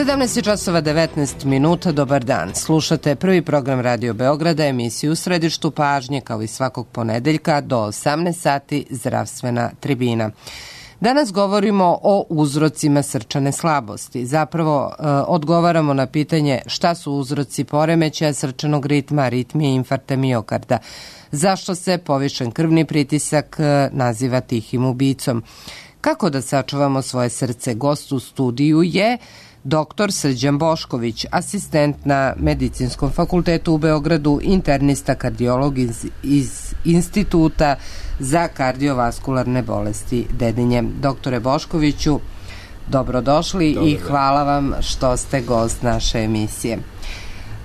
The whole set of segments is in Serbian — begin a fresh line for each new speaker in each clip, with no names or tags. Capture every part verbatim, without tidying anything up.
sedamnaest časova devetnaest minuta, dobar dan. Slušate prvi program Radio Beograda, emisiju U središtu pažnje, kao i svakog ponedeljka do osamnaest sati, zdravstvena tribina. Danas govorimo o uzrocima srčane slabosti. Zapravo e, odgovaramo na pitanje šta su uzroci poremećaja srčanog ritma, aritmije i infarkta miokarda. Zašto se povišen krvni pritisak e, naziva tihim ubicom? Kako da sačuvamo svoje srce? Gost u studiju je doktor Srđan Bošković, asistent na Medicinskom fakultetu u Beogradu, internista, kardiolog iz, iz Instituta za kardiovaskularne bolesti Dedinje. Doktore Boškoviću, dobrodošli Dobar, i hvala vam što ste gost naše emisije.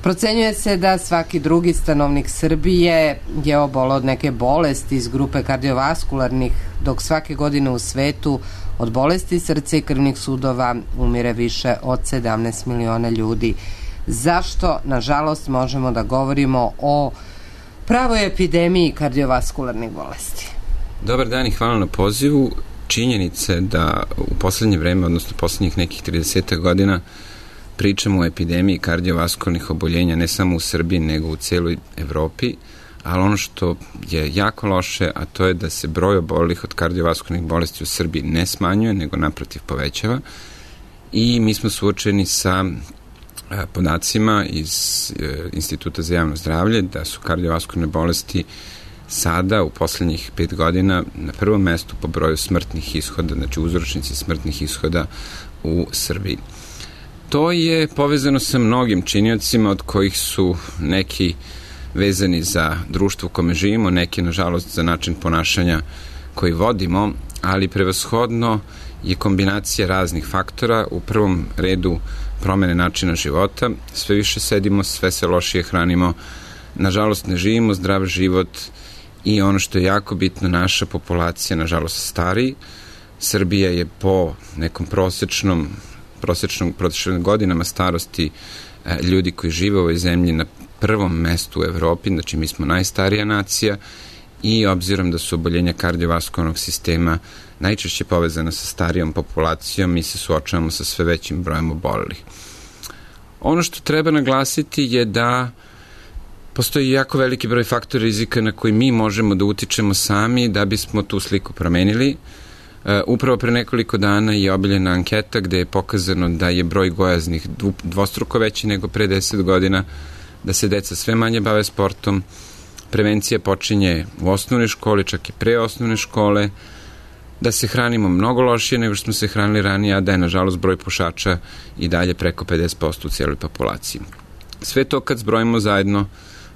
Procenjuje se da svaki drugi stanovnik Srbije je oboleo od neke bolesti iz grupe kardiovaskularnih, dok svake godine u svetu od bolesti srca i krvnih sudova umire više od sedamnaest miliona ljudi. Zašto, nažalost, možemo da govorimo o pravoj epidemiji kardiovaskularnih bolesti?
Dobar dan i hvala na pozivu. Činjenice da u poslednje vreme, odnosno poslednjih nekih trideset godina, pričamo o epidemiji kardiovaskularnih oboljenja ne samo u Srbiji, nego u cijeloj Evropi, ali ono što je jako loše, a to je da se broj obolelih od kardiovaskularnih bolesti u Srbiji ne smanjuje, nego naprotiv povećava. I mi smo suočeni sa podacima iz Instituta za javno zdravlje da su kardiovaskularne bolesti sada u poslednjih pet godina na prvom mestu po broju smrtnih ishoda, znači uzročnici smrtnih ishoda u Srbiji. To je povezano sa mnogim činiocima, od kojih su neki vezani za društvo u kome živimo, neki, nažalost, za način ponašanja koji vodimo, ali prevashodno je kombinacija raznih faktora. U prvom redu promene načina života, sve više sedimo, sve se lošije hranimo, nažalost ne živimo zdrav život i ono što je jako bitno, naša populacija, nažalost, stari. Srbija je po nekom prosečnom prosečnom, prosečnim godinama starosti e, ljudi koji žive u ovoj zemlji na prvom mestu u Evropi, znači mi smo najstarija nacija i obzirom da su oboljenja kardiovaskularnog sistema najčešće povezana sa starijom populacijom, mi se suočavamo sa sve većim brojem obolelih. Ono što treba naglasiti je da postoji jako veliki broj faktora rizika na koji mi možemo da utičemo sami da bismo tu sliku promenili. Uh, upravo pre nekoliko dana je objavljena anketa gde je pokazano da je broj gojaznih dvostruko veći nego pre deset godina, da se deca sve manje bave sportom, prevencija počinje u osnovnoj školi, čak i pre osnovne škole, da se hranimo mnogo lošije nego što smo se hranili ranije, a da je, nažalost, broj pušača i dalje preko pedeset posto u cijeloj populaciji. Sve to kad zbrojimo zajedno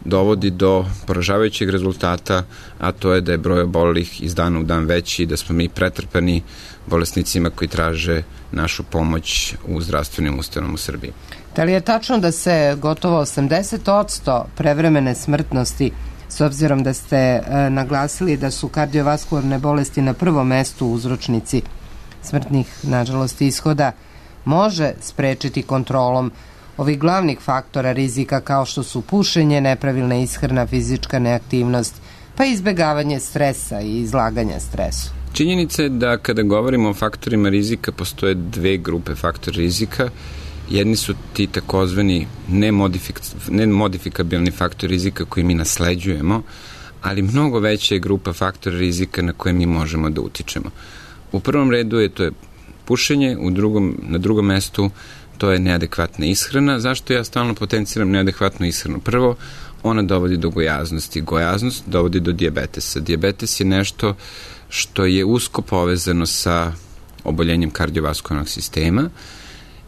dovodi do poražavajućeg rezultata, a to je da je broj obolelih iz dana u dan veći i da smo mi pretrpani bolesnicima koji traže našu pomoć u zdravstvenim ustanovama u Srbiji.
Da li je tačno da se gotovo osamdeset posto prevremene smrtnosti, s obzirom da ste e, naglasili da su kardiovaskularne bolesti na prvom mestu uzročnici smrtnih, nažalost, ishoda, može sprečiti kontrolom ovih glavnih faktora rizika kao što su pušenje, nepravilna ishrana, fizička neaktivnost, pa izbegavanje stresa i izlaganja stresu?
Činjenica je da kada govorimo o faktorima rizika postoje dve grupe faktora rizika. Jedni su ti takozvani nemodifik, nemodifikabilni faktor rizika koji mi nasleđujemo, ali mnogo veća je grupa faktora rizika na koje mi možemo da utičemo. U prvom redu je to je pušenje, u drugom, na drugom mestu to je neadekvatna ishrana. Zašto ja stalno potenciram neadekvatnu ishranu? Prvo, ona dovodi do gojaznosti. Gojaznost dovodi do dijabetesa. Dijabetes je nešto što je usko povezano sa oboljenjem kardiovaskularnog sistema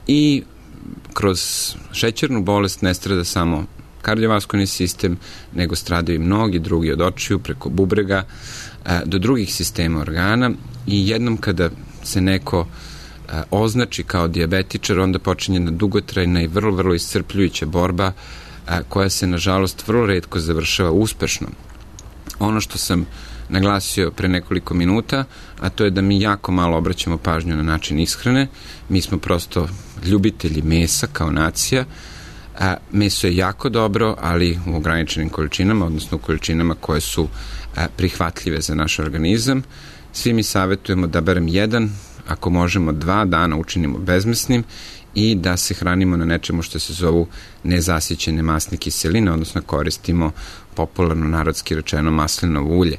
i kroz šećernu bolest ne strada samo kardiovaskularni sistem, nego stradaju i mnogi drugi, od očiju preko bubrega do drugih sistema organa i jednom kada se neko označi kao dijabetičar, onda počinje na dugotrajna i vrlo, vrlo iscrpljujuća borba koja se, nažalost, vrlo retko završava uspešno. Ono što sam naglasio pre nekoliko minuta, a to je da mi jako malo obraćamo pažnju na način ishrane. Mi smo prosto ljubitelji mesa kao nacija. A, meso je jako dobro, ali u ograničenim količinama, odnosno u količinama koje su a, prihvatljive za naš organizam. Svi mi savjetujemo da barem jedan ako možemo dva dana učinimo bezmesnim i da se hranimo na nečemu što se zovu nezasićene masne kiseline, odnosno koristimo popularno narodski rečeno maslinovo ulje.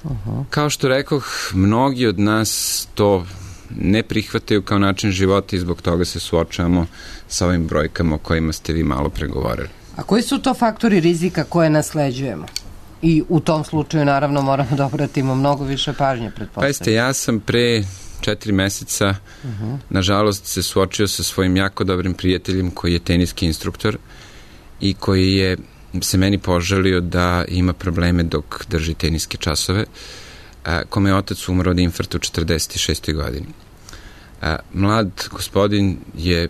Uh-huh. Kao što rekoh, mnogi od nas to ne prihvataju kao način života i zbog toga se suočavamo sa ovim brojkama o kojima ste vi malo pregovorili.
A koji su to faktori rizika koje nasleđujemo? I u tom slučaju, naravno, moramo da obratimo mnogo više pažnje, pretpostavljam.
Pa jeste, ja sam pre četiri meseca, uh-huh. nažalost, se suočio sa svojim jako dobrim prijateljem koji je teniski instruktor i koji je se meni požalio da ima probleme dok drži teniske časove, a, kome je otac umro od infarkta u četrdeset šestoj godini. A, mlad gospodin je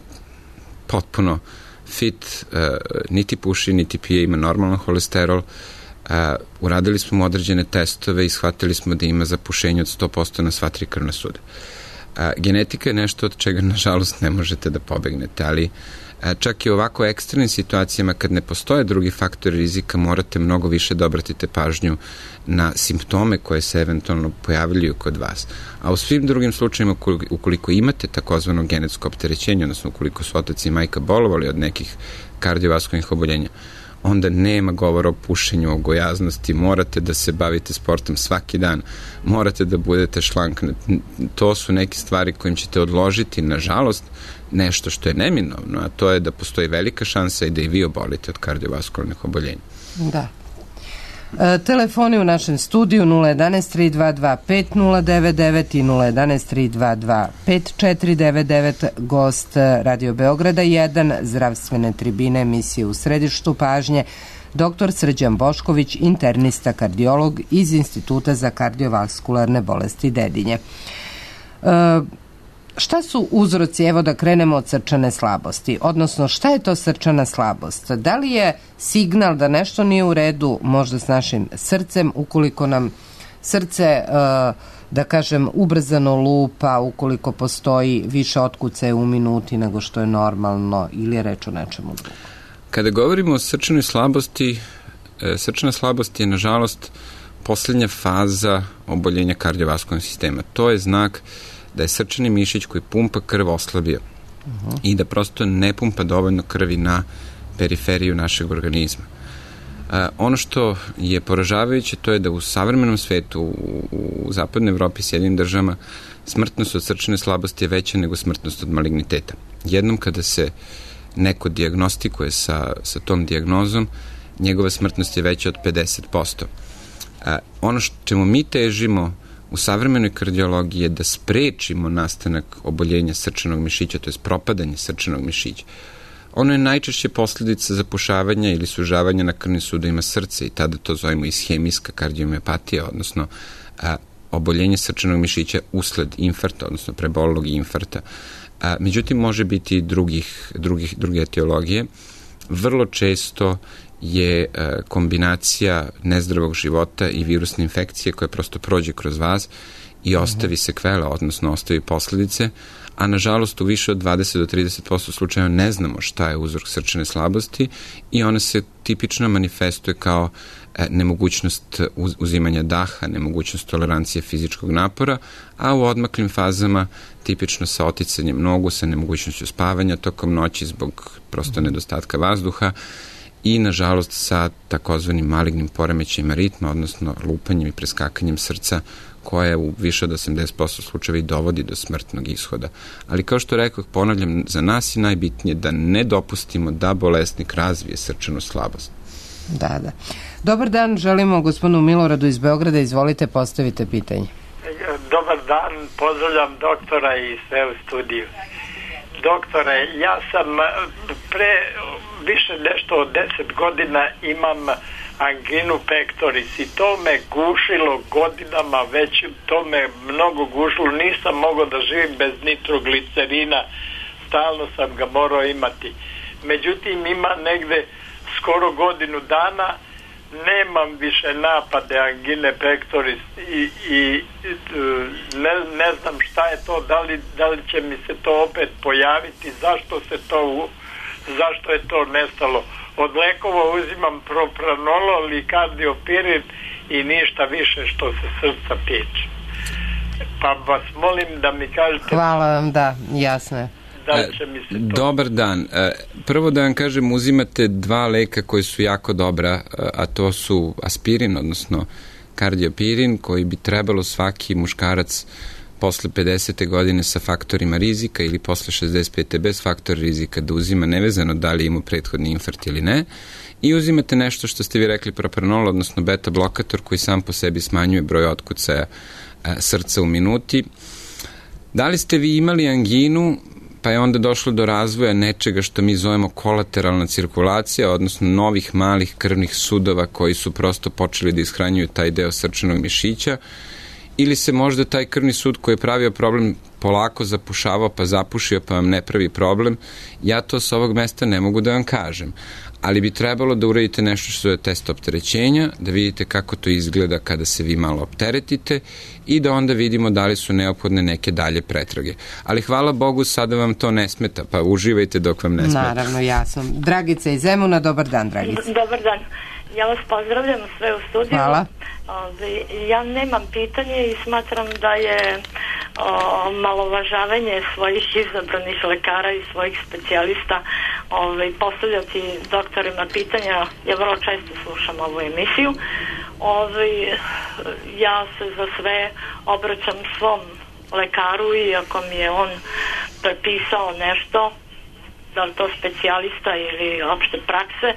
potpuno fit, a, niti puši, niti pije, ima normalan holesterol. A, uradili smo mu određene testove i shvatili smo da ima zapušenje od sto posto na sva tri krvna suda. A, genetika je nešto od čega, nažalost, ne možete da pobegnete, ali a, čak i u ovako ekstremnim situacijama kad ne postoje drugi faktori rizika, morate mnogo više da obratite pažnju na simptome koje se eventualno pojavljaju kod vas. A u svim drugim slučajima, ukoliko imate takozvano genetsko opterećenje, odnosno ukoliko su otac i majka bolovali od nekih kardiovaskularnih oboljenja, onda nema govora o pušenju, o gojaznosti, morate da se bavite sportom svaki dan, morate da budete šlank. To su neke stvari kojim ćete odložiti, nažalost, nešto što je neminovno, a to je da postoji velika šansa i da i vi obolite od kardiovaskularnih oboljenja.
Da. E, telefoni u našem studiju nula jedan tri dva dva pet nula devet devet i nula jedan tri dva dva pet četiri devet devet. Gost Radio Beograda jedan, zdravstvene tribine, emisije u središtu pažnje, doktor Srđan Bošković, internista kardiolog iz Instituta za kardiovaskularne bolesti Dedinje. E, Šta su uzroci, evo da krenemo od srčane slabosti, odnosno šta je to srčana slabost? Da li je signal da nešto nije u redu možda s našim srcem, ukoliko nam srce, da kažem, ubrzano lupa, ukoliko postoji više otkucaja u minuti nego što je normalno, ili je reč o nečemu drugom?
Kada govorimo o srčanoj slabosti, srčana slabost je, nažalost, poslednja faza oboljenja kardiovaskularnog sistema. To je znak da je srčani mišić koji pumpa krv oslabio uh-huh. i da prosto ne pumpa dovoljno krvi na periferiju našeg organizma. A, ono što je poražavajuće, to je da u savremenom svetu, u, u zapadnoj Evropi, Sjedinim državama, smrtnost od srčane slabosti je veća nego smrtnost od maligniteta. Jednom kada se neko dijagnostikuje sa, sa tom dijagnozom, njegova smrtnost je veća od pedeset posto. A, ono što čemu mi težimo u savremenoj kardiologiji je da sprečimo nastanak oboljenja srčanog mišića, to je propadanje srčanog mišića. Ono je najčešće posljedica zapušavanja ili sužavanja na krvnim sudovima srca i tada to zovemo ishemijska kardiomiopatija, odnosno a, oboljenje srčanog mišića usled infarkta, odnosno prebolelog infarkta. A, međutim, može biti i drugih, drugih, druge etiologije. Vrlo često je e, kombinacija nezdravog života i virusne infekcije koja prosto prođe kroz vas i ostavi sekvele, odnosno ostavi posledice, a nažalost u više od dvadeset do trideset posto slučajeva ne znamo šta je uzrok srčane slabosti i ona se tipično manifestuje kao e, nemogućnost uz, uzimanja daha, nemogućnost tolerancije fizičkog napora, a u odmaklim fazama tipično sa oticanjem nogu, sa nemogućnošću spavanja tokom noći zbog prosto nedostatka vazduha i, nažalost, sa takozvanim malignim poremećajima ritma, odnosno lupanjem i preskakanjem srca, koje u više od osamdeset posto slučajeva i dovodi do smrtnog ishoda. Ali, kao što rekao, ponavljam, za nas je najbitnije da ne dopustimo da bolesnik razvije srčanu slabost.
Da, da. Dobar dan, želimo gospodinu Miloradu iz Beograda, izvolite, postavite pitanje.
Dobar dan, pozdravljam doktora i sve u studiju. Doktore, ja sam pre više nešto od deset godina imam anginu pectoris i to me gušilo godinama, već to me mnogo gušilo, nisam mogao da živim bez nitroglicerina, stalno sam ga morao imati. Međutim, ima negde skoro godinu dana, nemam više napade angine pectoris i, i ne, ne znam šta je to, da li, da li će mi se to opet pojaviti, zašto se to, zašto je to nestalo. Od lekova uzimam propranolol i kardiopirin i ništa više što se srca tiče. pa vas molim da mi kažete...
Hvala vam, da, jasno je.
Da će mi se to...
Dobar dan. Prvo da vam kažem, uzimate dva leka koji su jako dobra, a to su aspirin, odnosno kardiopirin, koji bi trebalo svaki muškarac posle pedesete godine sa faktorima rizika ili posle šezdeset pete bez faktora rizika da uzima, nevezano da li ima prethodni infarkt ili ne. I uzimate nešto što ste vi rekli, propranolol, odnosno beta blokator, koji sam po sebi smanjuje broj otkucaja srca u minuti. Da li ste vi imali anginu, pa je onda došlo do razvoja nečega što mi zovemo kolateralna cirkulacija, odnosno novih malih krvnih sudova koji su prosto počeli da ishranjuju taj deo srčanog mišića, ili se možda taj krvni sud koji je pravio problem polako zapušavao, pa zapušio, pa vam ne pravi problem? Ja to sa ovog mesta ne mogu da vam kažem, ali bi trebalo da uradite nešto što je test opterećenja, da vidite kako to izgleda kada se vi malo opteretite i da onda vidimo da li su neophodne neke dalje pretrage. Ali hvala Bogu, sada vam to ne smeta, pa uživajte dok vam ne smeta.
Naravno, jasno. Dragica iz Zemuna, dobar dan, Dragica.
Dobar dan. Ja vas pozdravljam sve u studiju.
Hvala.
Ja nemam pitanje i smatram da je o, malovažavanje svojih izabranih lekara i svojih specijalista ovaj, postavljati doktorima pitanja. Ja vrlo često slušam ovu emisiju. Ovaj, ja se za sve obraćam svom lekaru i ako mi je on prepisao nešto, da li to specijalista ili opšte prakse,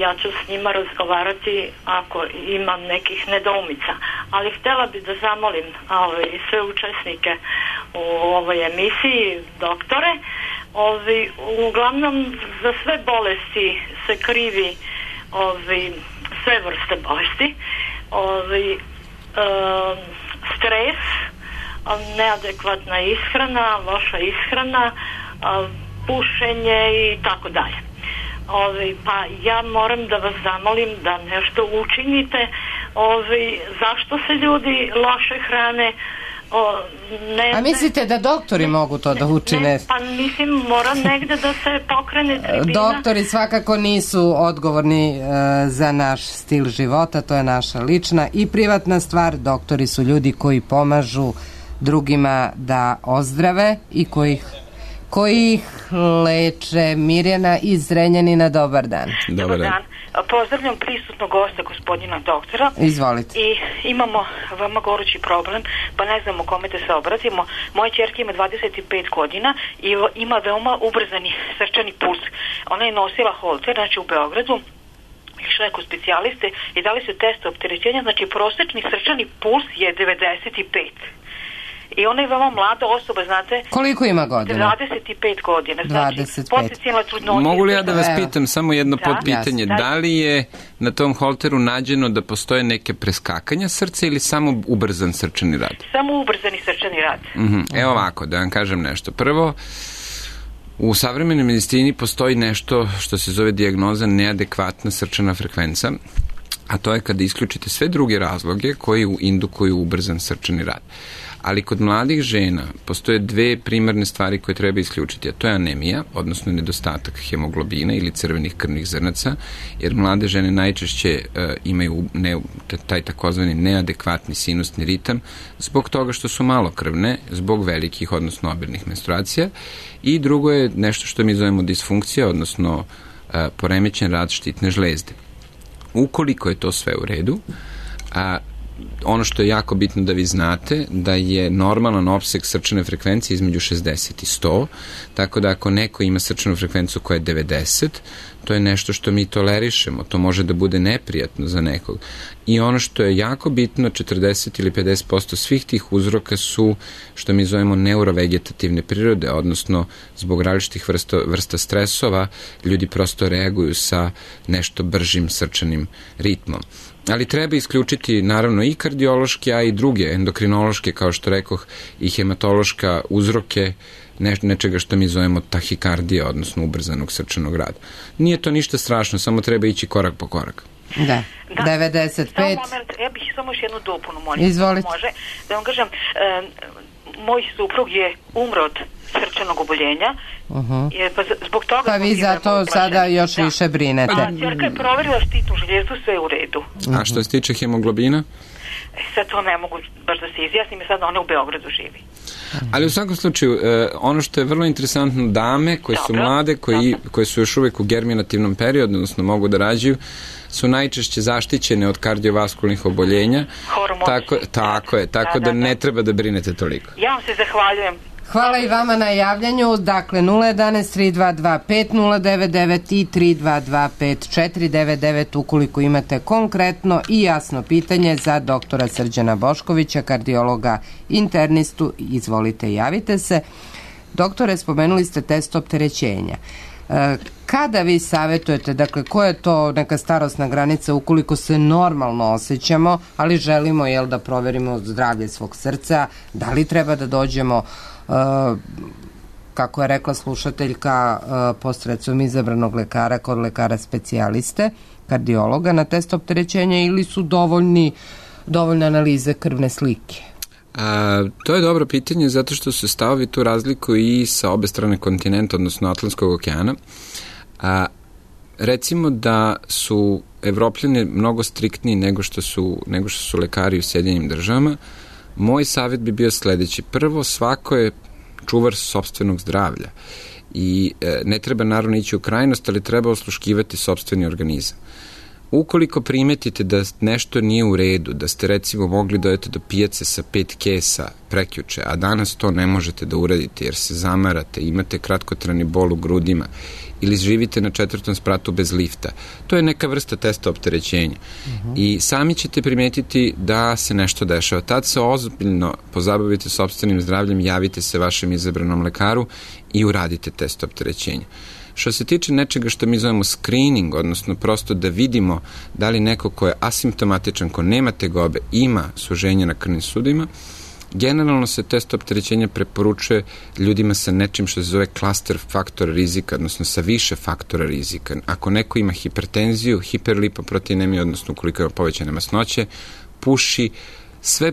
ja ću s njima razgovarati ako imam nekih nedoumica. Ali htjela bi da zamolim ovaj, sve učesnike u ovoj emisiji, doktore, ovaj, uglavnom za sve bolesti se krivi ovaj, sve vrste bolesti, ovaj, um, stres, neadekvatna ishrana, loša ishrana, um, pušenje i tako dalje. Ovi, pa ja moram da vas zamolim da nešto učinite. Ovi, zašto se ljudi loše hrane? O, ne,
A mislite da doktori ne, mogu to da učine?
Ne, pa mislim, mora negde da se pokrene tribina.
Doktori svakako nisu odgovorni e, za naš stil života, to je naša lična i privatna stvar. Doktori su ljudi koji pomažu drugima da ozdrave i koji koji ih leče. Mirjana iz Zrenjanina, dobar dan.
Dobar dan. Pozdravljam prisutnog gosta, gospodina doktora.
Izvolite.
I imamo veoma gorući problem, pa ne znamo kome da se obratimo. Moja ćerka ima dvadeset pet godina i ima veoma ubrzani srčani puls. Ona je nosila holter, znači u Beogradu, išla je kod specijaliste i dali su test opterećenja, znači prosečni srčani puls je devedeset pet. I ona je veoma mlada osoba, znate.
Koliko ima godina?
dvadeset pet godina. Znači,
dvadeset pet.
potencijalna trudnoća.
Mogu li ja da vas pitam samo jedno
da?
podpitanje?
Da.
Da li je na tom holteru nađeno da postoje neke preskakanja srca ili samo ubrzan srčani rad?
Samo ubrzani srčani rad.
Mm-hmm. Evo ovako, da vam kažem nešto. Prvo, u savremenoj medicini postoji nešto što se zove dijagnoza neadekvatna srčana frekvenca, a to je kada isključite sve druge razloge koji indukuju ubrzan srčani rad. Ali kod mladih žena postoje dve primarne stvari koje treba isključiti, a to je anemija, odnosno nedostatak hemoglobina ili crvenih krvnih zrnaca, jer mlade žene najčešće uh, imaju ne, taj takozvani neadekvatni sinusni ritam zbog toga što su malokrvne, zbog velikih, odnosno obilnih menstruacija. I drugo je nešto što mi zovemo disfunkcija, odnosno uh, poremećen rad štitne žlezde. Ukoliko je to sve u redu, a ono što je jako bitno da vi znate, da je normalan opseg srčane frekvencije između šezdeset i sto, tako da ako neko ima srčanu frekvenciju koja je devedeset, to je nešto što mi tolerišemo, to može da bude neprijatno za nekog. I ono što je jako bitno, četrdeset ili pedeset posto svih tih uzroka su što mi zovemo neurovegetativne prirode, odnosno zbog različitih vrsta, vrsta stresova ljudi prosto reaguju sa nešto bržim srčanim ritmom. Ali treba isključiti naravno i kardiološke, a i druge endokrinološke, kao što rekoh, i hematološka uzroke ne, nečega što mi zovemo tahikardija, odnosno ubrzanog srčanog rada. Nije to ništa strašno, samo treba ići korak po korak.
Da,
da.
devedeset pet.
Samo moment, ja bih samo još jednu dopunu, molim.
Izvolite.
Može, da vam kažem, e, moj suprug je umro od srčanog oboljenja, uh-huh. je, pa zbog toga...
Pa vi zato sada još da. više brinete.
A čerka je proverila štitnu žljezu, sve je u redu.
Uh-huh. A što se tiče hemoglobina?
E, sad to ne mogu baš da se izjasnim i sad ona u Beogradu živi.
Ali u svakom slučaju, ono što je vrlo interesantno, dame koje
Dobro,
su mlade, koji,
dobro.
koje su još uvek u germinativnom periodu, odnosno mogu da rađaju, su najčešće zaštićene od kardiovaskulnih oboljenja. Tako, tako je, tako da, da, da ne treba da brinete toliko.
Ja vam se zahvaljujem.
Hvala i vama na javljanju. Dakle, nula jedan tri dva dva pet nula devet devet i tri dva dva pet četiri devet devet ukoliko imate konkretno i jasno pitanje za doktora Srđana Boškovića, kardiologa internistu. Izvolite, javite se. Doktore, spomenuli ste test opterećenja. Kada vi savjetujete, dakle, koja je to neka starosna granica ukoliko se normalno osjećamo, ali želimo, jel, da proverimo zdravlje svog srca, da li treba da dođemo, uh, kako je rekla slušateljka, uh, posredstvom izabranog lekara kod lekara specijaliste, kardiologa, na test opterećenja, ili su dovoljni, dovoljne analize krvne slike?
A, to je dobro pitanje zato što se stavovi tu razlikuju i sa obe strane kontinenta, odnosno Atlantskog okeana. A, recimo da su Evropljani mnogo striktniji nego što su, nego što su lekari u Sjedinjenim državama. Moj savjet bi bio sledeći. Prvo, svako je čuvar sopstvenog zdravlja i e, ne treba naravno ići u krajnost, ali treba osluškivati sopstveni organizam. Ukoliko primetite da nešto nije u redu, da ste recimo mogli dojeti do pijace sa pet kesa prekjuče, a danas to ne možete da uradite jer se zamarate, imate kratkotrajni bol u grudima ili živite na četvrtom spratu bez lifta, to je neka vrsta testa opterećenja. Uh-huh. I sami ćete primetiti da se nešto dešava. Tad se ozbiljno pozabavite sopstvenim zdravljem, javite se vašem izabranom lekaru i uradite test opterećenja. Što se tiče nečega što mi zovemo screening, odnosno prosto da vidimo da li neko ko je asimptomatičan, ko nema tegobe, ima suženje na krvnim sudovima, generalno se test opterećenja preporučuje ljudima sa nečim što se zove klaster faktora rizika, odnosno sa više faktora rizika. Ako neko ima hipertenziju, hiperlipoproteinemiju, odnosno ukoliko ima povećane masnoće, puši, sve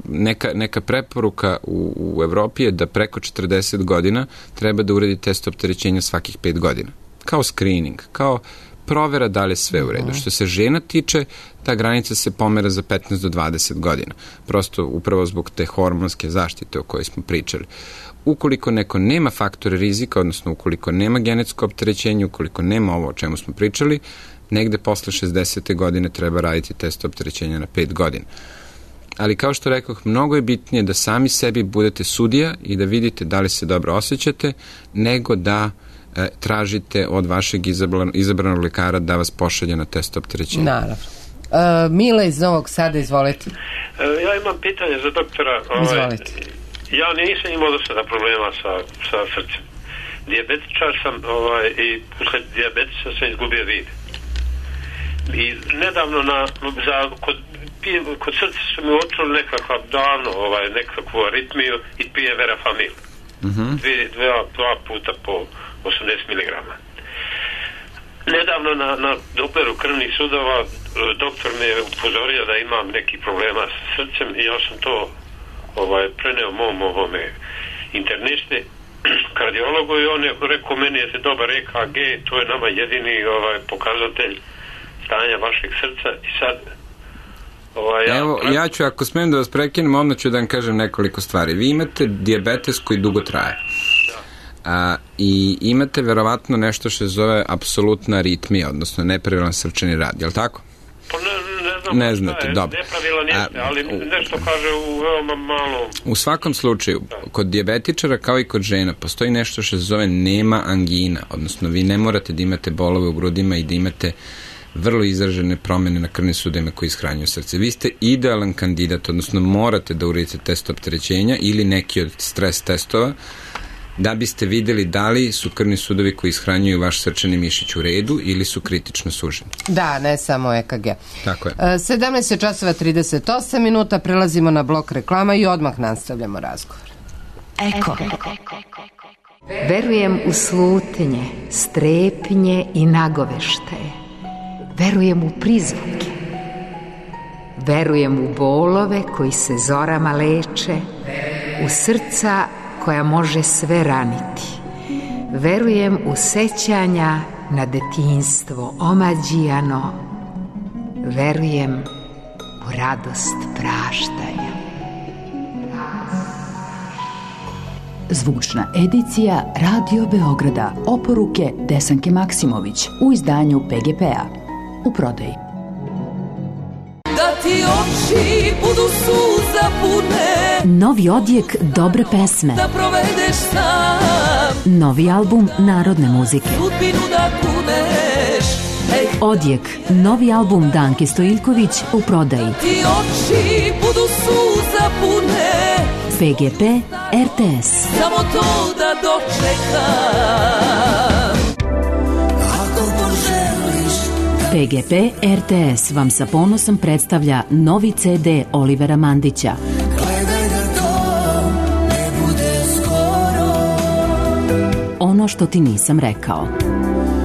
neka, neka preporuka u, u Evropi je da preko četrdeset godina treba da uradi test opterećenja svakih pet godina. Kao screening, kao provera da li je sve u redu. Što se žena tiče, ta granica se pomera za petnaest do dvadeset godina. Prosto upravo zbog te hormonske zaštite o kojoj smo pričali. Ukoliko neko nema faktore rizika, odnosno ukoliko nema genetsko opterećenje, ukoliko nema ovo o čemu smo pričali, negde posle šezdesete godine treba raditi test opterećenja na pet godina. Ali kao što rekoh, mnogo je bitnije da sami sebi budete sudija i da vidite da li se dobro osjećate, nego da e, tražite od vašeg izabran, izabranog lekara da vas pošalje na test opterećenja.
Naravno. E, Mile iz Novog Sada, izvolite.
E, ja imam pitanje za doktora. Ovaj,
izvolite.
Ja nisam imao do sada problema sa, sa srcem. Dijabetičar sam ovaj, i usled dijabetisa sam izgubio vid. I nedavno na, za, kod, kod srca su mi očuli nekakav davno ovaj, nekakvu aritmiju i pije Verafamil. Mm-hmm. Dve, dve, dva puta po osamdeset miligrama. Nedavno na, na Doppleru krvnih sudova doktor me je upozorio da imam neki problema s srcem i ja sam to ovaj, preneo mom ovome internisti, kardiologu, i on je rekao, meni je dobar E K G, to je nama jedini ovaj, pokazatelj stanja vašeg srca. I sad ovaj, ja,
evo, ja ću, ako smijem da vas prekinem, odmah ću da vam kažem nekoliko stvari. Vi imate dijabetes koji dugo traje. A, i imate verovatno nešto što se zove apsolutna aritmija, odnosno nepravilan srčani rad, je li tako?
Pa ne, ne znam.
Ne znate,
je,
dobro.
Nepravilan jeste, ali nešto kaže u veoma malo...
U svakom slučaju, kod dijabetičara kao i kod žena postoji nešto što se zove nema angina, odnosno vi ne morate da imate bolove u grudima i da imate vrlo izražene promene na krvnim sudovima koji ishranjuju srce. Vi ste idealan kandidat, odnosno morate da uradite test opterećenja ili neki od stres testova da biste videli da li su krvni sudovi koji ishranjuju vaš srčani mišić u redu ili su kritično suženi.
Da, ne samo E K G.
Tako je.
sedamnaest časova trideset osam minuta, prelazimo na blok reklama i odmah nastavljamo razgovor.
Eko. Verujem u slutnje, strepnje i nagoveštaje. Verujem u prizvuke. Verujem u bolove koji se zorama leče, u srca koja može sve raniti. Verujem u sećanja na detinjstvo omađijano. Verujem u radost praštanja.
Zvučna edicija Radio Beograda. Oporuke Desanke Maksimović u izdanju P G P-a. U prodaji.
Da ti oči budu suza pune,
Novi odjek dobre pesme.
da provedeš sam
Novi album narodne muzike.
sudbinu da kuneš. Ej,
Odjek, novi album Danke Stojiljković u prodaji.
ti oči budu suza pune,
P G P R T S.
samo to da dočekam. Ako poželiš
P G P R T S vam sa ponosom predstavlja novi C D Olivera Mandića.
gledaj da to ne bude skoro,
Ono što ti nisam rekao.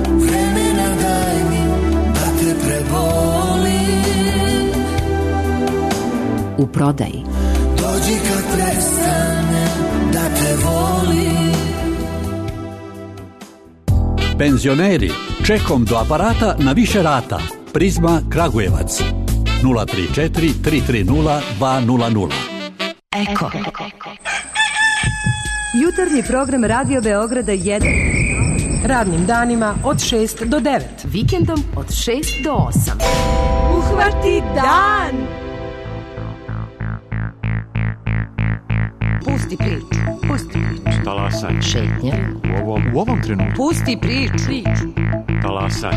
vremena daj mi da te prebolim.
U prodaji.
Dođi kad prestane da te volim.
Penzioneri, čekom do aparata na više rata. Prizma Kragujevac. nula tri četiri tri tri nula dva nula nula.
Eko.
Jutarnji program Radio Beograda jedan. Radnim danima od šest do devet.
Vikendom od šest do osam.
Uhvati dan!
Pusti priču. Pusti priču.
Talasaj.
Šetnja.
U ovom, u ovom trenutku.
Pusti priču.
Talasaj.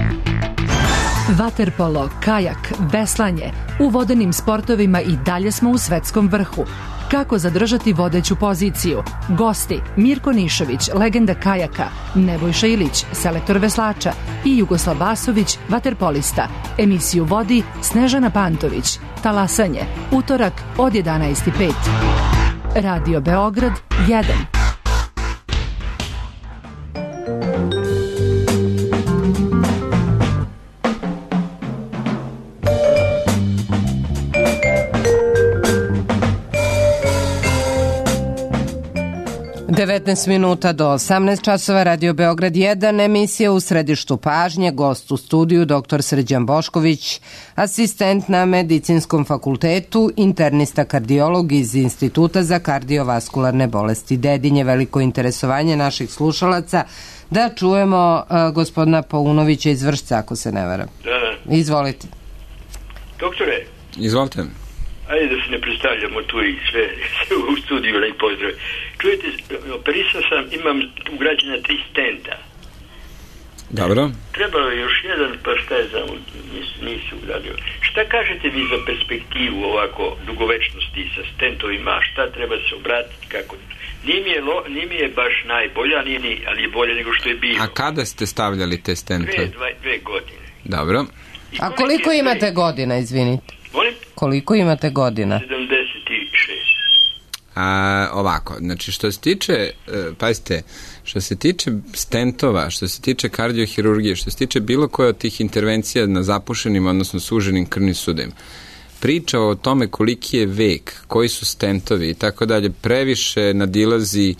Vaterpolo, kajak, veslanje. U vodenim sportovima i dalje smo u svetskom vrhu. Kako zadržati vodeću poziciju? Gosti Mirko Nišović, legenda kajaka, Nebojša Ilić, selektor veslača i Jugoslav Vasović, vaterpolista. Emisiju vodi Snežana Pantović. Talasanje, utorak od jedanaest i pet. Radio Beograd jedan.
devetnaest minuta do osamnaest časova, Radio Beograd jedan, emisija u središtu pažnje, gost u studiju doktor Srđan Bošković, asistent na Medicinskom fakultetu, internista kardiolog iz Instituta za kardiovaskularne bolesti Dedinje. Veliko interesovanje naših slušalaca da čujemo uh, gospodina Paunovića iz Vršca, ako se ne varam.
Da, da.
Izvolite.
Doktore,
Izvolite.
ajde da se ne predstavljamo tu i sve, sve u studiju, lej pozdrav. Čujete, operisao sam, imam ugrađena tri stenta.
Dobro.
Trebalo je još jedan, pa šta je znam, nisu, nisu ugradio. Šta kažete vi za perspektivu ovako dugovečnosti sa stentovima, šta treba se obratiti, kako? Nije mi je, lo, nije mi je baš najbolja, nije ni, ali je bolje nego što je bilo.
A kada ste stavljali te stente?
Dve, dva, dve godine.
Dobro.
A koliko imate godina, izvinite?
Molim?
Koliko imate godina?
sedamdeset šest.
A, ovako, znači što se tiče, e, pazite, što se tiče stentova, što se tiče kardiohirurgije, što se tiče bilo koje od tih intervencija na zapušenim, odnosno suženim krvnim sudovima, priča o tome koliki je vek, koji su stentovi i tako dalje, previše nadilazi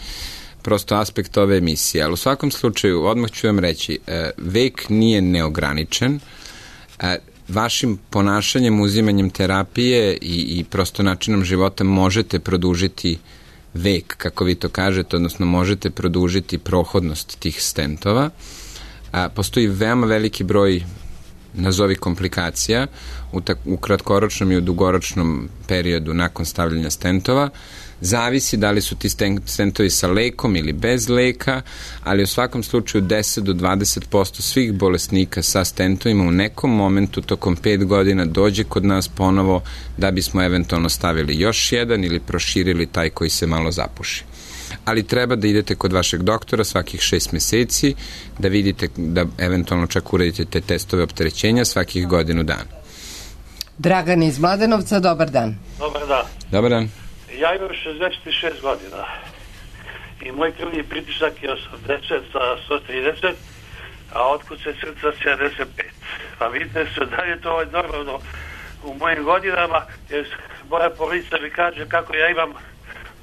prosto aspekt ove emisije, ali u svakom slučaju, odmah ću vam reći, e, vek nije neograničen, e, vašim ponašanjem, uzimanjem terapije i, i prosto načinom života možete produžiti vek, kako vi to kažete, odnosno možete produžiti prohodnost tih stentova. A, postoji veoma veliki broj nazovi komplikacija u, tak, u kratkoročnom i u dugoročnom periodu nakon stavljanja stentova. Zavisi da li su ti stentovi sa lekom ili bez leka, ali u svakom slučaju deset do dvadeset posto svih bolesnika sa stentovima u nekom momentu tokom pet godina dođe kod nas ponovo da bismo eventualno stavili još jedan ili proširili taj koji se malo zapuši. Ali treba da idete kod vašeg doktora svakih šest meseci, da vidite, da eventualno čak uradite te testove opterećenja svakih godinu dana.
Dragan iz Mladenovca, dobar dan.
Dobar dan.
Dobar dan.
Ja imam šezdeset šest godina i moj krvni pritisak je osamdeset sa sto trideset, a otkuce srca sedamdeset pet. Pa vidite se da je to normalno u mojim godinama, jer moja porodica mi kaže kako ja imam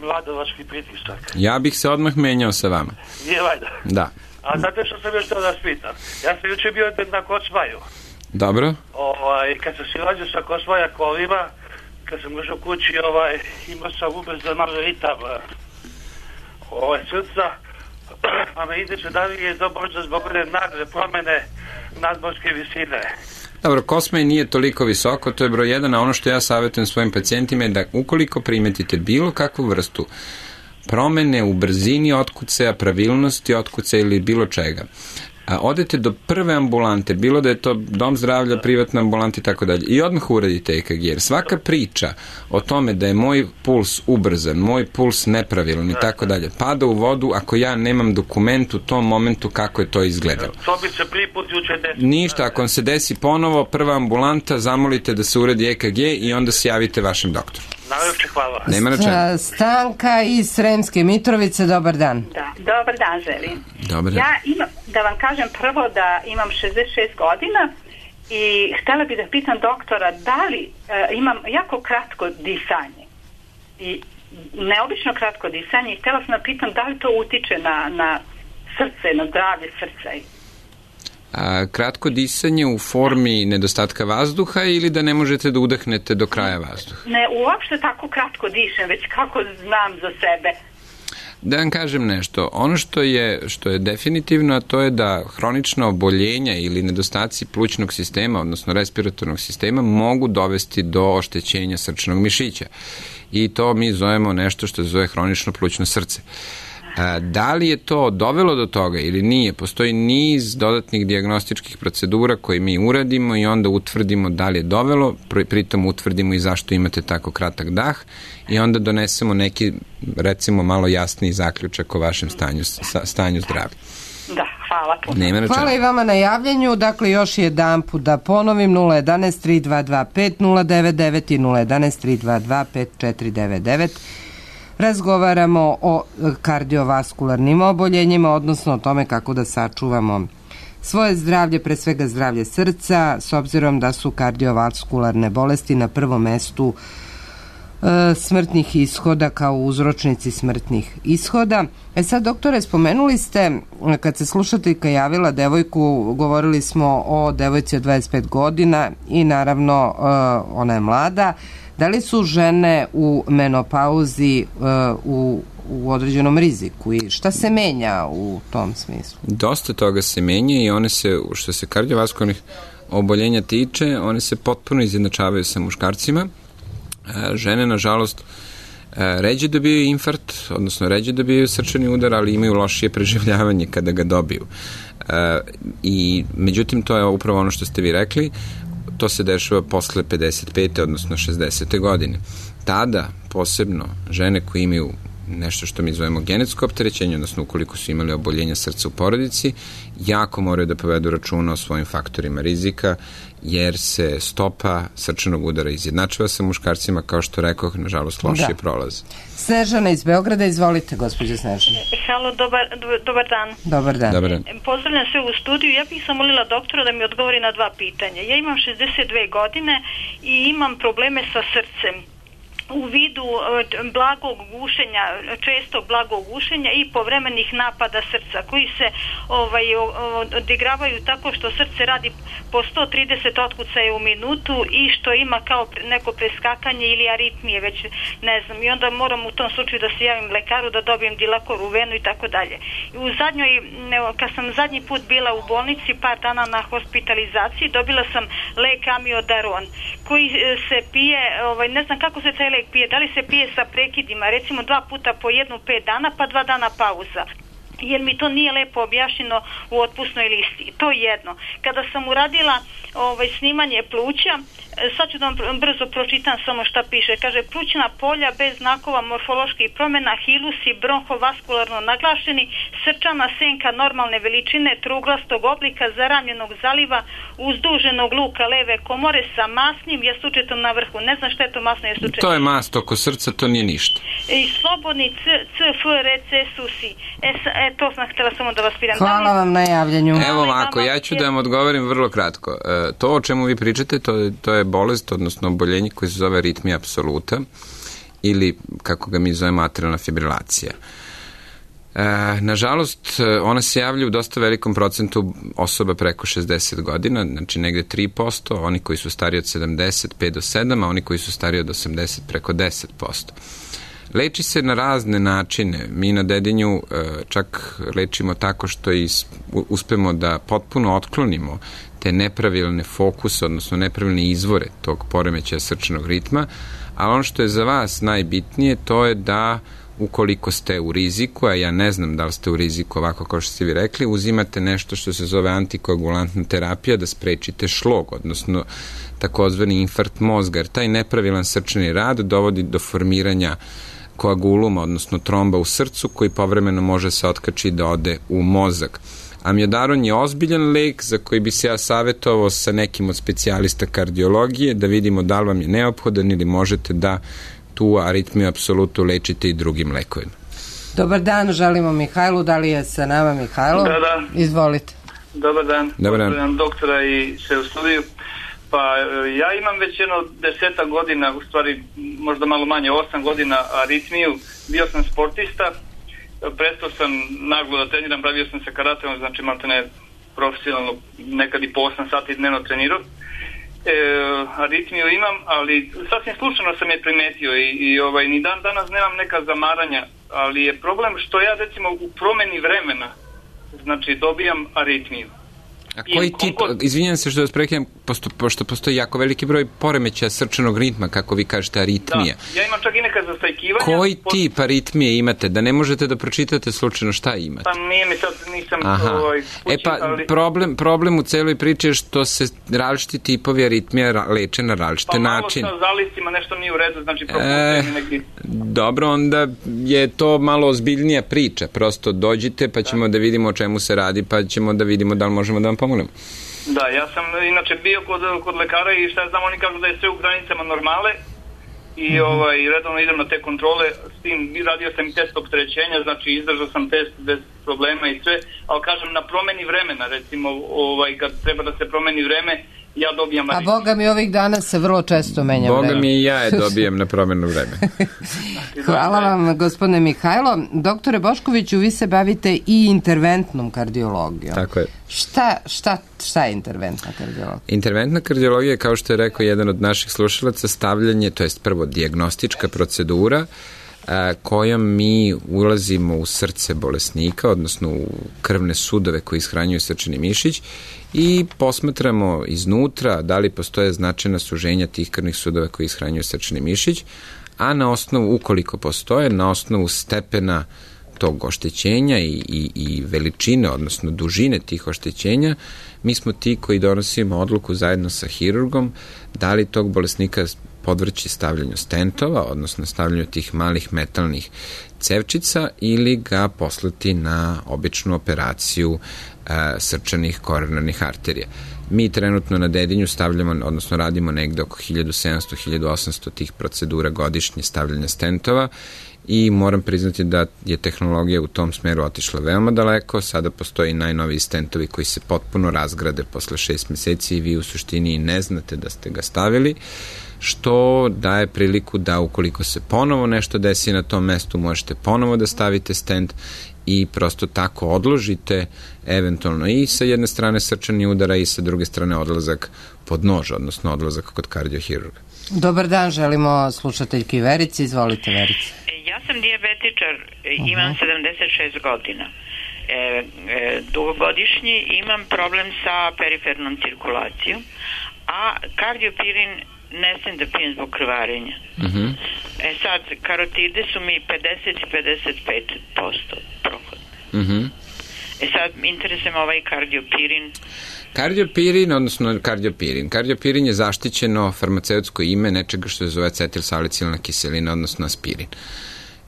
mladovački pritisak.
Ja bih se odmah menjao sa vama.
Nije valjda?
Da.
A znate što sam još to da spitam? Ja sam juče bio na Kosmaju.
Dobro.
Ovaj, kad sam si rađao sa Kosmaja kolima, kad sam došao kući, ovaj, imao sam ubrzan ritam ovaj, srca, pa me interesuje da li je to možda zbog one nagle promene nadmorske visine.
Dobro, Kosmaj nije toliko visoko, to je broj jedan, a ono što ja savjetujem svojim pacijentima je da ukoliko primetite bilo kakvu vrstu promene u brzini otkucaja, pravilnosti otkucaja ili bilo čega, a odete do prve ambulante, bilo da je to dom zdravlja, privatna ambulanta i tako dalje, i odmah uradite E K G, jer svaka priča o tome da je moj puls ubrzan, moj puls nepravilan i tako dalje, pada u vodu ako ja nemam dokument u tom momentu kako je to izgledalo.
To bi se prvi put juče desilo.
Ništa, ako vam se desi ponovo, prva ambulanta, zamolite da se uradi E K G i onda se javite vašem doktoru.
Najlepše hvala.
Nema na čemu.
Stanka iz Sremske Mitrovice, dobar dan.
Da, dobar dan želim.
Dobar dan.
Ja imam, da vam kažem prvo da imam šezdeset šest godina i htjela bih da pitam doktora da li e, imam jako kratko disanje i neobično kratko disanje i htjela sam da pitam da li to utiče na, na srce, na zdravlje srca.
A, kratko disanje u formi nedostatka vazduha ili da ne možete da udahnete do kraja vazduha?
Ne, uopšte tako kratko dišem, već kako znam za sebe.
Da vam kažem nešto, ono što je, što je definitivno, a to je da hronična oboljenja ili nedostaci plućnog sistema, odnosno respiratornog sistema, mogu dovesti do oštećenja srčnog mišića. I to mi zovemo nešto što se zove hronično plućno srce. Da li je to dovelo do toga ili nije, postoji niz dodatnih dijagnostičkih procedura koje mi uradimo i onda utvrdimo da li je dovelo, pritom utvrdimo i zašto imate tako kratak dah i onda donesemo neki, recimo, malo jasniji zaključak o vašem stanju, stanju zdravlja.
Da, hvala puno.
Hvala i vama na javljanju. Dakle, još jedan put da ponovim, nula jedan tri dva dva pet nula devet devet i nula jedan tri dva dva pet četiri devet devet. Razgovaramo o kardiovaskularnim oboljenjima, odnosno o tome kako da sačuvamo svoje zdravlje, pre svega zdravlje srca, s obzirom da su kardiovaskularne bolesti na prvom mestu e, smrtnih ishoda kao uzročnici smrtnih ishoda. E sad, doktore, spomenuli ste, kad se slušateljka javila devojku, govorili smo o devojci od dvadeset pet godina i naravno e, ona je mlada. Da li su žene u menopauzi uh, u, u određenom riziku i šta se menja u tom smislu?
Dosta toga se menja i one se, što se kardiovaskularnih oboljenja tiče, one se potpuno izjednačavaju sa muškarcima. Uh, žene, nažalost, uh, ređe dobiju infarkt, odnosno ređe dobiju srčani udar, ali imaju lošije preživljavanje kada ga dobiju. Uh, i međutim, to je upravo ono što ste vi rekli, to se dešava posle pedeset pete odnosno šezdesete godine. Tada, posebno, žene koje imaju nešto što mi zovemo genetsko opterećenje, odnosno ukoliko su imali oboljenja srca u porodici, jako moraju da povedu računa o svojim faktorima rizika, jer se stopa srčanog udara izjednačava sa muškarcima, kao što rekoh, nažalost, lošije da. prolaze.
Snežana iz Beograda, izvolite, gospođo Snežana.
Halo, dobar, dobar dan.
Dobar dan.
Dobar dan.
Pozdravljam sve u studiju. Ja bih zamolila doktora da mi odgovori na dva pitanja. Ja imam šezdeset dve godine i imam probleme sa srcem u vidu blagog gušenja, često blagog gušenja i povremenih napada srca koji se ovaj, odigravaju tako što srce radi po sto trideset otkucaja u minutu i što ima kao neko preskakanje ili aritmije, već ne znam. I onda moram u tom slučaju da se javim lekaru da dobijem dilakor u venu i tako dalje. I u zadnjoj, kad sam zadnji put bila u bolnici, par dana na hospitalizaciji, dobila sam lek amiodaron koji se pije, ovaj, ne znam kako se taj lek pije, da li se pije sa prekidima, recimo dva puta po jednu pet dana, pa dva dana pauza. Jer mi to nije lepo objašnjeno u otpusnoj listi. To je jedno. Kada sam uradila ovaj, snimanje pluća, sad ću da vam brzo pročitam samo šta piše. Kaže, plućna polja bez znakova morfoloških promjena, hilusi bronhovaskularno naglašeni, srčana senka normalne veličine, truglastog oblika, zaranjenog zaliva, uzduženog luka leve komore sa masnim jastučetom na vrhu. Ne znam šta je to masno jastučeto.
To je mast oko srca, to nije ništa.
I slobodni c, c, f, r, c, susi. E, e, to sam htjela samo da vas pitam.
Hvala vam na javljanju.
Evo ovako, ja ću da vam odgovorim vrlo kratko. E, to o čemu vi pričate, to, to je bolest, odnosno oboljenje koje se zove aritmija apsoluta ili, kako ga mi zovemo, atrialna fibrilacija. E, nažalost, ona se javlja u dosta velikom procentu osoba preko šezdeset godina, znači negde tri posto, oni koji su stariji od sedamdeset, pet do sedam, a oni koji su stariji od osamdeset, preko deset posto. Leči se na razne načine. Mi na Dedinju čak lečimo tako što is, uspemo da potpuno otklonimo te nepravilne fokuse, odnosno nepravilne izvore tog poremećaja srčanog ritma, a ono što je za vas najbitnije, to je da ukoliko ste u riziku, a ja ne znam da li ste u riziku ovako kao što ste vi rekli, uzimate nešto što se zove antikoagulantna terapija da sprečite šlog, odnosno takozvani infarkt mozga, jer taj nepravilan srčani rad dovodi do formiranja koaguluma, odnosno tromba u srcu, koji povremeno može se otkači da ode u mozak. Amiodaron je ozbiljan lek za koji bi se ja savjetovao sa nekim od specijalista kardiologije da vidimo da li vam je neophodan ili možete da tu aritmiju apsolutno lečite i drugim lekovima.
Dobar dan, želimo Mihajlu. Da li je sa nama Mihajlo?
Da, da.
Izvolite.
Dobar dan.
Dobar dan.
Pozdravljam doktora i sve u studiju. Pa ja imam već jedno deseta godina, u stvari možda malo manje, osam godina aritmiju. Bio sam sportista, prestao sam naglo da treniram, bavio sam se karateom, znači maltene profesionalno, nekad i po osam sati dnevno trenirao. E, aritmiju imam, ali sasvim slučajno sam je primetio i, i ovaj, ni dan danas nemam neka zamaranja, ali je problem što ja recimo u promeni vremena, znači dobijam aritmiju.
A koji tip, izvinjam se što vas prekidam, pošto postoji jako veliki broj poremećaja srčanog ritma, kako vi kažete, aritmija.
Da, ja imam čak i neka zastajkivanja.
Koji tip aritmije imate, da ne možete da pročitate slučajno šta imate?
Pa nije mi sad, nisam
Aha.
ovaj,
kući, e pa, ali... problem, problem u celoj priči je što se različiti tipovi aritmija leče na različite načine.
Pa malo sa zalistima nešto nije u redu, znači propustuje mi neki...
Dobro, onda je to malo ozbiljnija priča, prosto dođite pa ćemo da, da vidimo o čemu se radi, pa ćemo da vidimo da li možemo da vam pomognemo.
Da, ja sam inače bio kod, kod lekara i šta znam, oni kažu da je sve u granicama normale i mm-hmm. ovaj, redovno idem na te kontrole, s tim radio sam i test opterećenja, znači izdržao sam test bez problema i sve, ali kažem na promeni vremena, recimo ovaj, kad treba da se promeni vreme, ja dobijam...
A Boga mi ovih dana se vrlo često menja
Boga
vreme.
Boga mi i ja je dobijem na promenu vreme.
Hvala vam, gospodine Mihajlo. Doktore Boškoviću, vi se bavite i interventnom kardiologijom.
Tako je.
Šta, šta, šta je interventna kardiologija?
Interventna kardiologija, kao što je rekao jedan od naših slušalaca, stavljanje, to jest prvo dijagnostička procedura a, kojom mi ulazimo u srce bolesnika, odnosno u krvne sudove koji ishranjuju srčani mišić i posmatramo iznutra da li postoje značajna suženja tih krvnih sudova koji ishranjuju srčani mišić, a na osnovu, ukoliko postoje, na osnovu stepena tog oštećenja i, i, i veličine, odnosno dužine tih oštećenja, mi smo ti koji donosimo odluku zajedno sa hirurgom da li tog bolesnika podvrći stavljanju stentova, odnosno stavljanju tih malih metalnih cevčica ili ga poslati na običnu operaciju e, srčanih koronarnih arterija. Mi trenutno na Dedinju stavljamo, odnosno radimo negde oko hiljadu sedamsto do hiljadu osamsto tih procedura godišnje stavljanja stentova i moram priznati da je tehnologija u tom smeru otišla veoma daleko. Sada postoji najnoviji stentovi koji se potpuno razgrade posle šest meseci i vi u suštini ne znate da ste ga stavili, što daje priliku da ukoliko se ponovo nešto desi na tom mestu, možete ponovo da stavite stent i prosto tako odložite eventualno i sa jedne strane srčani udara i sa druge strane odlazak pod nož, odnosno odlazak kod kardiohirurga.
Dobar dan, želimo slušateljki Verici. Izvolite, Verici.
Ja sam dijabetičar, imam sedamdeset šest godina. E, e, dugogodišnji, imam problem sa perifernom cirkulacijom, a kardiopirin ne sam da pijem zbog krvarenja.
Mm-hmm.
E sad, karotide su mi pedeset i pedeset pet posto prohodne.
Mm-hmm.
E sad, interesuje me ovaj kardiopirin.
Kardiopirin, odnosno kardiopirin. Kardiopirin je zaštićeno farmaceutsko ime nečega što se zove acetilsalicilna kiselina, odnosno aspirin.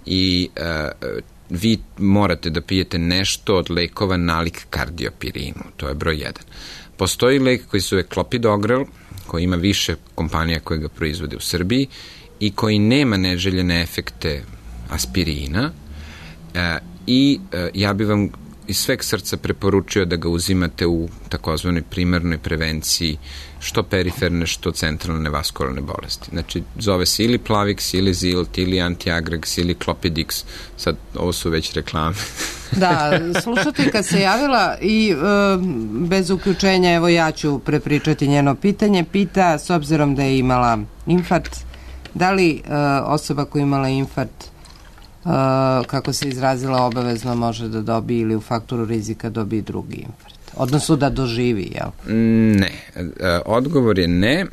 I uh, vi morate da pijete nešto od lekova nalik kardiopirinu. To je broj jedan. Postoji lek koji se zove Clopidogrel, koji ima više kompanija koje ga proizvode u Srbiji i koji nema neželjene efekte aspirina uh, i uh, ja bih vam iz sveg srca preporučio da ga uzimate u takozvanoj primarnoj prevenciji što periferne, što centralne vaskularne bolesti. Znači, zove se ili Plavix, ili Zilt, ili Antiagrax, ili Clopidix. Sad, ovo su već reklame.
Da, slušateljka se javila i e, bez uključenja, evo ja ću prepričati njeno pitanje. Pita, s obzirom da je imala infarkt, da li e, osoba koja je imala infarkt, e, kako se izrazila, obavezno može da dobije ili u faktoru rizika dobije drugi infarkt? Odnosno da doživi, jel?
Ne. Odgovor je ne.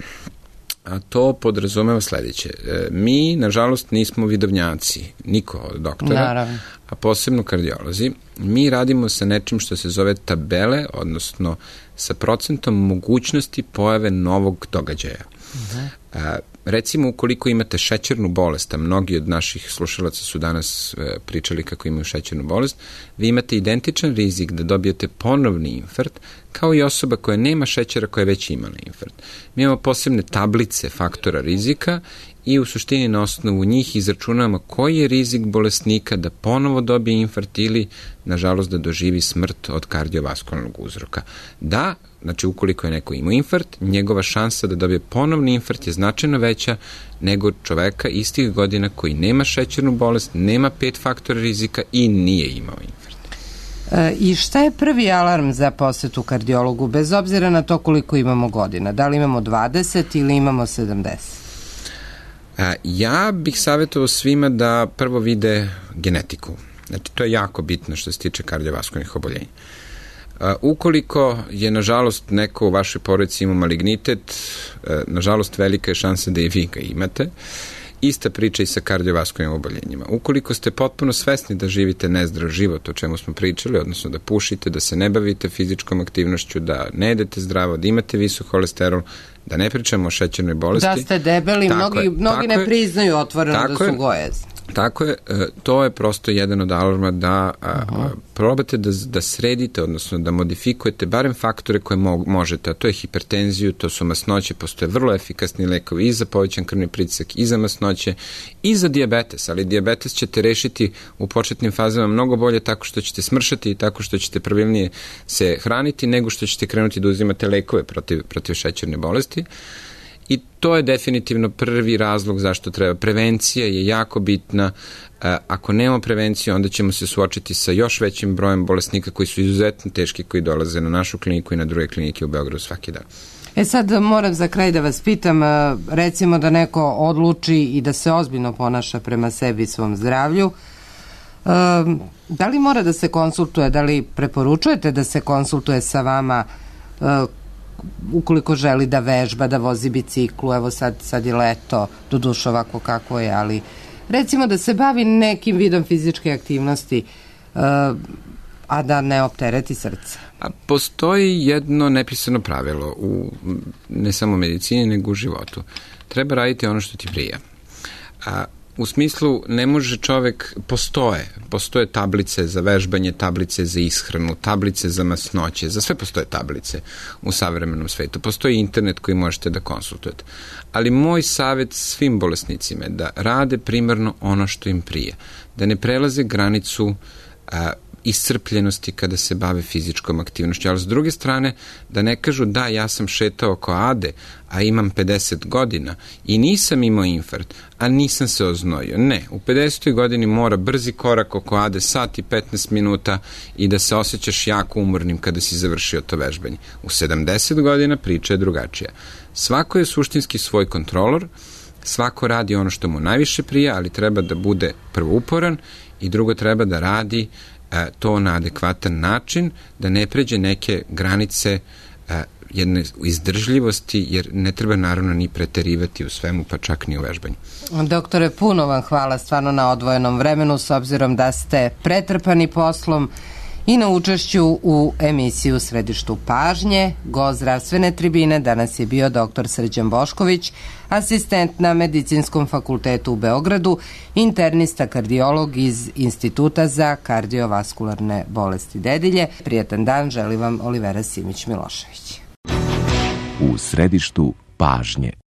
A to podrazumeva sledeće. Mi, nažalost, nismo vidovnjaci, niko od doktora,
Naravno.
a posebno kardiolozi. Mi radimo sa nečim što se zove tabele, odnosno sa procentom mogućnosti pojave novog događaja. Uh-huh. A, recimo, ukoliko imate šećernu bolest, a mnogi od naših slušalaca su danas e, pričali kako imaju šećernu bolest, vi imate identičan rizik da dobijete ponovni infarkt, kao i osoba koja nema šećera koja je već imala infarkt. Mi imamo posebne tablice faktora rizika i u suštini na osnovu njih izračunavamo koji je rizik bolesnika da ponovo dobije infarkt ili, nažalost, da doživi smrt od kardiovaskularnog uzroka. Da, znači ukoliko je neko imao infarkt, njegova šansa da dobije ponovni infarkt je značajno veća nego čoveka istih godina koji nema šećernu bolest, nema pet faktora rizika i nije imao infarkt.
E, I šta je prvi alarm za posetu kardiologu, bez obzira na to koliko imamo godina? Da li imamo dvadeset ili imamo sedamdeset?
A, ja bih savjetovao svima da prvo vide genetiku. Znači, to je jako bitno što se tiče kardiovaskularnih oboljenja. Uh, ukoliko je, nažalost, neko u vašoj porodici ima malignitet, uh, nažalost, velika je šansa da i vi ga imate. Ista priča i sa kardiovaskularnim oboljenjima. Ukoliko ste potpuno svesni da živite nezdrav život, o čemu smo pričali, odnosno da pušite, da se ne bavite fizičkom aktivnošću, da ne jedete zdravo, da imate visok holesterol, da ne pričamo o šećernoj bolesti.
Da ste debeli, mnogi,
je,
mnogi ne
je,
priznaju otvoreno da su je, gojezni.
Tako je, to je prosto jedan od alarma da uh-huh. probate da, da sredite, odnosno da modifikujete barem faktore koje mo- možete, a to je hipertenziju, to su masnoće, postoje vrlo efikasni lekovi i za povećan krvni pritisak, i za masnoće, i za dijabetes, ali dijabetes ćete rešiti u početnim fazama mnogo bolje tako što ćete smršati i tako što ćete pravilnije se hraniti nego što ćete krenuti da uzimate lekove protiv, protiv šećerne bolesti. I to je definitivno prvi razlog zašto treba. Prevencija je jako bitna. Ako nemamo prevenciju, onda ćemo se suočiti sa još većim brojem bolesnika koji su izuzetno teški, koji dolaze na našu kliniku i na druge klinike u Beogradu svaki dan.
E sad moram za kraj da vas pitam, recimo da neko odluči i da se ozbiljno ponaša prema sebi i svom zdravlju, da li mora da se konsultuje, da li preporučujete da se konsultuje sa vama ukoliko želi da vežba, da vozi biciklu, evo sad, sad je leto, doduše ovako kako je, ali recimo da se bavi nekim vidom fizičke aktivnosti, uh, a da ne optereti srce?
A postoji jedno nepisano pravilo u ne samo medicini, nego u životu. Treba raditi ono što ti prija. A u smislu, ne može čovek, postoje, postoje tablice za vežbanje, tablice za ishranu, tablice za masnoće, za sve postoje tablice u savremenom svetu. Postoji internet koji možete da konsultujete. Ali moj savjet svim bolesnicima je da rade primarno ono što im prije, da ne prelaze granicu a, iscrpljenosti kada se bave fizičkom aktivnošću, ali s druge strane da ne kažu da ja sam šetao oko Ade, a imam pedeset godina i nisam imao infarkt, a nisam se oznojio. Ne, u pedesetoj godini mora brzi korak oko Ade, sat i petnaest minuta i da se osjećaš jako umornim kada si završio to vežbanje. U sedamdeset godina priča je drugačija. Svako je suštinski svoj kontrolor, svako radi ono što mu najviše prija, ali treba da bude prvo uporan i drugo treba da radi to na adekvatan način, da ne pređe neke granice jedne izdržljivosti, jer ne treba naravno ni preterivati u svemu, pa čak ni u vežbanju.
Doktore, puno vam hvala stvarno na odvojenom vremenu, s obzirom da ste pretrpani poslom i na učešću u emisiju u Središtu pažnje. Gost zdravstvene tribine danas je bio doktor Srđan Bošković, asistent na Medicinskom fakultetu u Beogradu, internista kardiolog iz Instituta za kardiovaskularne bolesti dedilje. Prijatan dan, želi vam Olivera Simić-Milošević.
U Središtu pažnje.